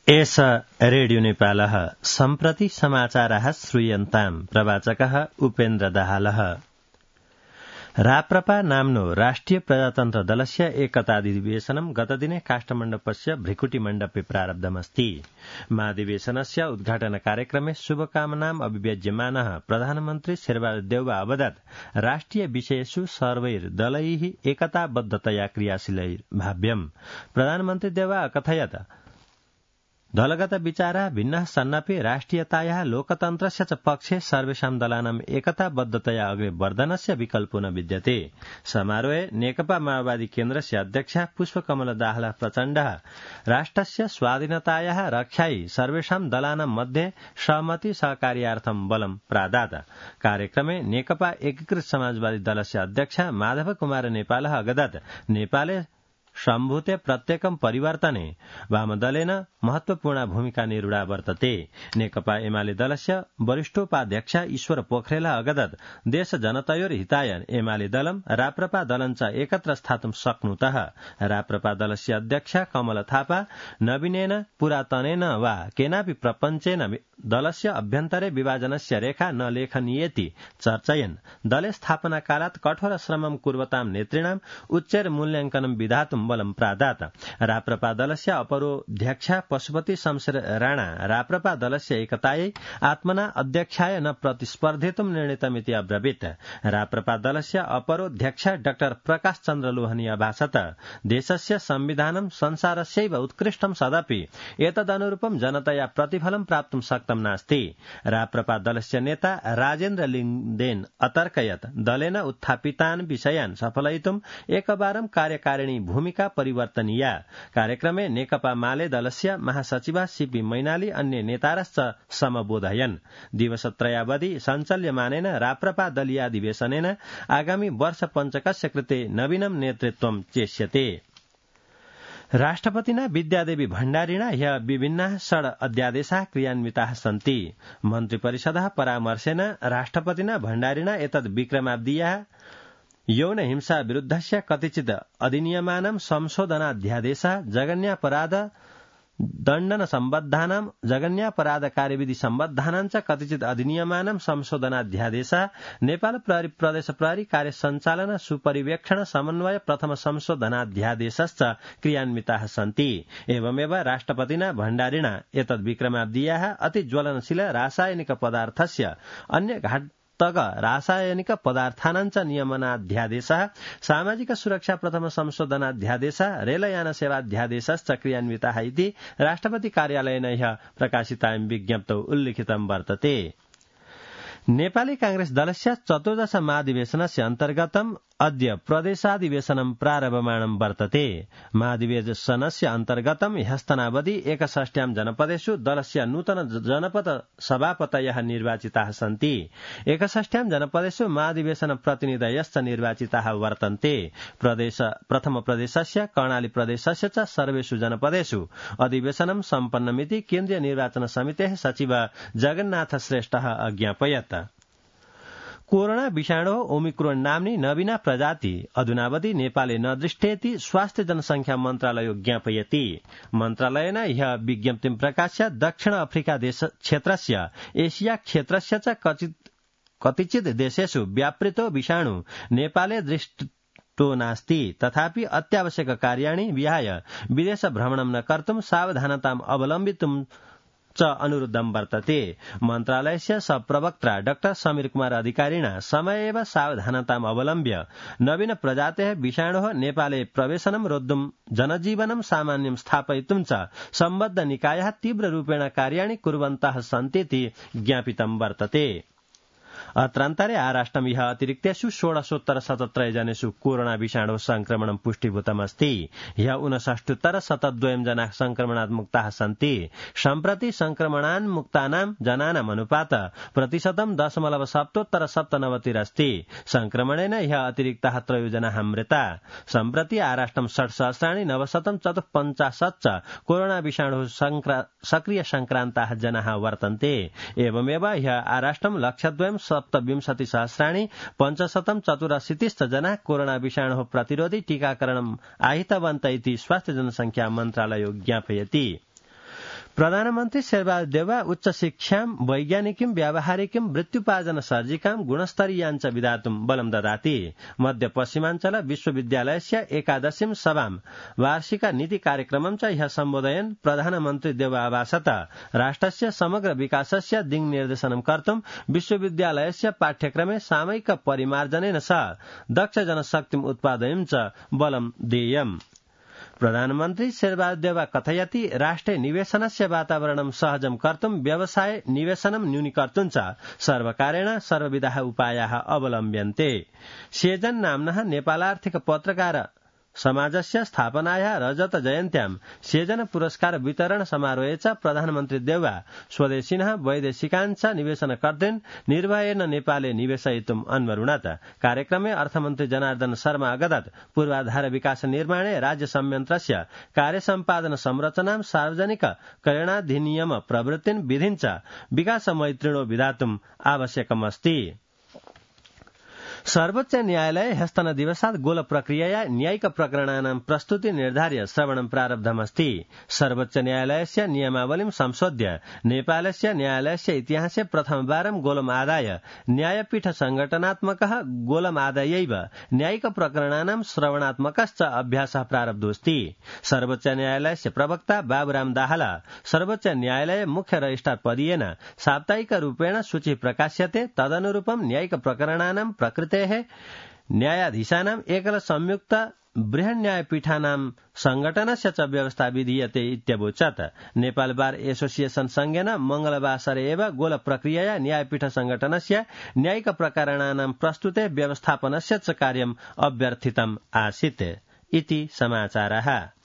एष रेडियो नेपालः सम्प्रति समाचारः श्रूयन्ताम् प्रवाचकः उपेन्द्र दाहालः। राप्रपा नाम्नो राष्ट्रिय प्रजातन्त्र दलस्य एकताधिवेशनं गतदिने काष्ठमण्डपस्य भृकुटिमण्डपे प्रारब्धमस्ति। महाधिवेशनस्य उद्घाटन कार्यक्रमे शुभकामनाम् अभिव्यज्यमानः प्रधानमन्त्री शेरबहादुर देउवा अवदत् राष्ट्रिय विषयेषु सर्वैर् दलैः एकताबद्धतया क्रियाशीलैर्भाव्यम्। प्रधानमन्त्री देउवा अकथयत् दलगत विचारा भिन्नः सन्नपि राष्ट्रियतायाः लोकतन्त्रस्य च पक्षे सर्वेषां दलानाम् एकताबद्धतया अग्रे वर्धनस्य विकल्पो न विद्यते। समारोहे नेकपा माओवादी केन्द्रस्य अध्यक्ष पुष्पकमल दाहाल प्रचण्डः राष्ट्रस्य स्वाधीनतायाः रक्षायै सर्वेषां दलानां मध्ये सहमति सहकार्यार्थं बलं प्रादात्। कार्यक्रमे नेकपा एकीकृत समाजवादी दलस्य अध्यक्ष माधव कुमार नेपालः अगदत् नेपाले सम्भूते प्रत्येकं परिवर्तने वामदलेन महत्वपूर्ण भूमिका निरूढा वर्तते। नेकपा एमाले दलस्य वरिष्ठोपाध्यक्ष ईश्वर पोखरेल अगदत् देश जनतयोर् हिताय एमाले दलं राप्रपा दलं च एकत्र स्थातुं शक्नुतः। राप्रपा दलस्य अध्यक्ष कमल थापा नवीनेन पुरातनेन वा केनापि प्रपञ्चेन दलस्य अभ्यन्तरे विभाजनस्य रेखा न लेखनीयेति चर्चयन् दले स्थापना कालात् कठोर श्रमं कुर्वतां नेतॄणाम् उच्चैर मूल्याङ्कनं विधातुं बलं प्रादात्। राप्रपा दलस्य अपरोध्यक्ष पशुपति शमशेर राणा राप्रपा दलस्य एकतायै आत्मना अध्यक्षाय न प्रतिस्पर्धितुं निर्णीतमिति अब्रवीत्। राप्रपा दलस्य अपरोध्यक्ष डाक्टर प्रकाश चन्द्र लोहनी अभाषत देशस्य संविधानं संसारस्यैव उत्कृष्टं सदपि एतदनुरूपं जनतया प्रतिफलं प्राप्तुं शक्तं नास्ति। राप्रपा दलस्य नेता राजेन्द्र लिङ्गदेन अतर्कयत् दलेन उत्थापितान् विषयान् सफलयितुं एकवारं कार्यकारिणी भूमिका परिवर्तनीया। कार्यक्रमे नेकपा माले दलस्य महासचिव सीपी मैनाली अन्य नेतारश्च समबोधयन्। दिवसत्रयावधि सञ्चाल्यमानेन राप्रपा दलीयाधिवेशनेन आगामी वर्ष पञ्चकस्य कृते नवीनं नेतृत्वं चेष्यते। राष्ट्रपतिना विद्यादेवी भण्डारिणा ह्यः विभिन्नाः षड् अध्यादेशाः क्रियान्विताः सन्ति। मन्त्रिपरिषदः परामर्शेन राष्ट्रपतिना भण्डारिणा एतद् विक्रमाब्दीयाः यौन हिंसा विरुद्धस्य कतिचित् अधिनियमानां संशोधनाध्यादेशः जघन्यापराध दण्डन सम्बद्धानां जघन्यापराध कार्यविधि सम्बद्धानां च कतिचित् अधिनियमानां संशोधनाध्यादेशः नेपाल प्रहरी प्रदेश प्रहरी कार्य सञ्चालन सुपरिवेक्षण समन्वय प्रथम संशोधनाध्यादेशश्च क्रियान्विताः सन्ति। एवमेव राष्ट्रपतिना भण्डारिणा एतद् विक्रमाब्दीयाः अति ज्वलनशील रासायनिक पदार्थस्य अन्य घातक रासायनिक पदार्थानां च नियमनाध्यादेशः सामाजिक सुरक्षा प्रथम संशोधनाध्यादेशः रेलयान सेवाध्यादेशश्च क्रियान्विताः इति राष्ट्रपति कार्यालयेन ह्यः प्रकाशितायां विज्ञप्तौ उल्लिखितं वर्तते। नेपाली कांग्रेस दलस्य 14दश महाधिवेशनस्य अन्तर्गतम् अद्य प्रदेशाधिवेशनं प्रारभमाणं वर्तते। महाधिवेशनस्य अन्तर्गतम् ह्यस्तनावधि 61 जनपदेषु दलस्य नूतन जनपद सभापतयः निर्वाचिताः सन्ति। 61 जनपदेषु महाधिवेशन प्रतिनिधयश्च निर्वाचिताः वर्तन्ते। प्रथम प्रदेशस्य कर्णाली प्रदेशस्य च सर्वेषु जनपदेषु अधिवेशनं सम्पन्नमिति केन्द्रीय निर्वाचन समितेः सचिव जगन्नाथ श्रेष्ठः अज्ञापयत्। कोरोना विषाणोः ओमिक्रोन नाम्नी नवीना प्रजाति अधुनावधि नेपाले न दृष्टेति स्वास्थ्य जनसंख्या मन्त्रालयो ज्ञापयति। मन्त्रालयेन ह्यः विज्ञप्तिं प्रकाश्य दक्षिण अफ्रिका देश क्षेत्रस्य एशिया क्षेत्रस्य च कतिचित् देशेषु व्यापृतो विषाणु नेपाले दृष्टो नास्ति। तथापि अत्यावश्यक कार्याणि विहाय विदेश भ्रमणं न कर्तुं सावधानताम् अवलम्बितुं च अनुरुद्धं वर्तते। मन्त्रालयस्य प्रवक्ता डाक्टर समीर कुमार अधिकारिणा समयेव सावधानताम् अवलम्ब्य नवीन प्रजातेः विषाणोः नेपाले प्रवेशनं रोद्धुं जनजीवनं सामान्यं स्थापयितुं च सम्बद्ध निकायाः तीव्ररूपेण कार्याणि कुर्वन्तः सन्तीति ज्ञापितं वर्तते। अत्रान्तरे आराष्ट्रं ह्यः अतिरिक्तेषु 1677 जनेषु कोरोना विषाणोः संक्रमणं पुष्टीभूतमस्ति। ह्यः 59,172 जनाः संक्रमणात् मुक्ताः सन्ति। सम्प्रति संक्रमणान्मुक्तानां जनानाम् अनुपात प्रतिशतं 0.97 अस्ति। संक्रमणेन ह्यः अतिरिक्ताः 3 जनाः मृता। सम्प्रति आराष्ट्रं 60,954 च कोरोना विषाणोः सक्रिय संक्रान्ताः जनाः वर्तन्ते। एवमेव ह्यः आराष्ट्रं 1,27,584 जनाः कोरोना विषाणोः प्रतिरोधि टीकाकरणम् आहितवन्त इति स्वास्थ्य जनसंख्या मन्त्रालयो ज्ञापयति। प्रधानमन्त्री शेरबहादुर देउवा उच्च शिक्षां वैज्ञानिकीं व्यावहारिकीं वृत्त्युपार्जन सर्जिकां गुणस्तरीयाञ्च विधातुं बलं ददाति मध्य पश्चिमाञ्चल विश्वविद्यालयस्य एकादशीं सभां वार्षिक नीति कार्यक्रमं च ह्यः सम्बोधयन् प्रधानमन्त्री देउवा आभासत राष्ट्रस्य समग्र विकासस्य दिङ्निर्देशनं कर्तुं विश्वविद्यालयस्य पाठ्यक्रमे सामयिक परिमार्जनेन सह दक्ष जनशक्तिम् उत्पादयितुं च बलं देयम्। प्रधानमन्त्री शेरबहादुर देउवा कथयति राष्ट्रे निवेशनस्य वातावरणं सहजं कर्तुं व्यवसाय निवेशनं न्यूनीकर्तुं च सर्वकारेण सर्वविधाः उपायाः अवलम्ब्यन्ते। सेजन नाम्नः नेपालार्थिक पत्रकार समाजस्य स्थापनायाः रजत जयन्त्यां सेजन पुरस्कार वितरण समारोहे च प्रधानमन्त्री देउवा स्वदेशिनः वैदेशिकान् च निवेशनकर्तॄन् निर्भयेन नेपाले निवेशयितुम् अन्वरुणत। कार्यक्रमे अर्थमन्त्री जनार्दन शर्मा अगदत् पूर्वाधार विकास निर्माणे राज्य संयन्त्रस्य कार्यसम्पादन संरचनां सार्वजनिक कल्याणाधिनियम प्रवृत्तिन् विधिञ्च विकास मैत्रिणो विधातुम् आवश्यकमस्ति। सर्वोच्च न्यायालय ह्यस्तन दिवसात् गोल प्रक्रियया न्यायिक प्रकरणानां प्रस्तुति निर्धार्य श्रवणं प्रारब्धमस्ति। सर्वोच्च न्यायालयस्य नियमावलीं संशोध्य नेपालस्य न्यायालयस्य इतिहासे प्रथमवारं गोलम् आदाय न्यायपीठ संघटनात्मकः गोलम् आदायैव न्यायिक प्रकरणानां श्रवणात्मकश्च अभ्यासः प्रारब्धोऽस्ति। सर्वोच्च न्यायालयस्य प्रवक्ता बाबुराम दाहाल सर्वोच्च न्यायालय मुख्य रजिस्ट्रार पदीयेन साप्ताहिक रूपेण सूची प्रकाश्यते तदनुरूपं न्यायिक प्रकरणानां प्रकृते न्यायाधीशानाम् एकल संयुक्त बृहन् न्यायपीठानां संघटनस्य च व्यवस्था विधीयते इत्यवोचत्। नेपाल बार एसोसिएशन संघेन मंगलवासरे एव गोल प्रक्रियया न्यायपीठ संघटनस्य न्यायिक प्रकरणानां प्रस्तुते व्यवस्थापनस्य च कार्यम् अभ्यर्थितम् आसीत् इति समाचारः।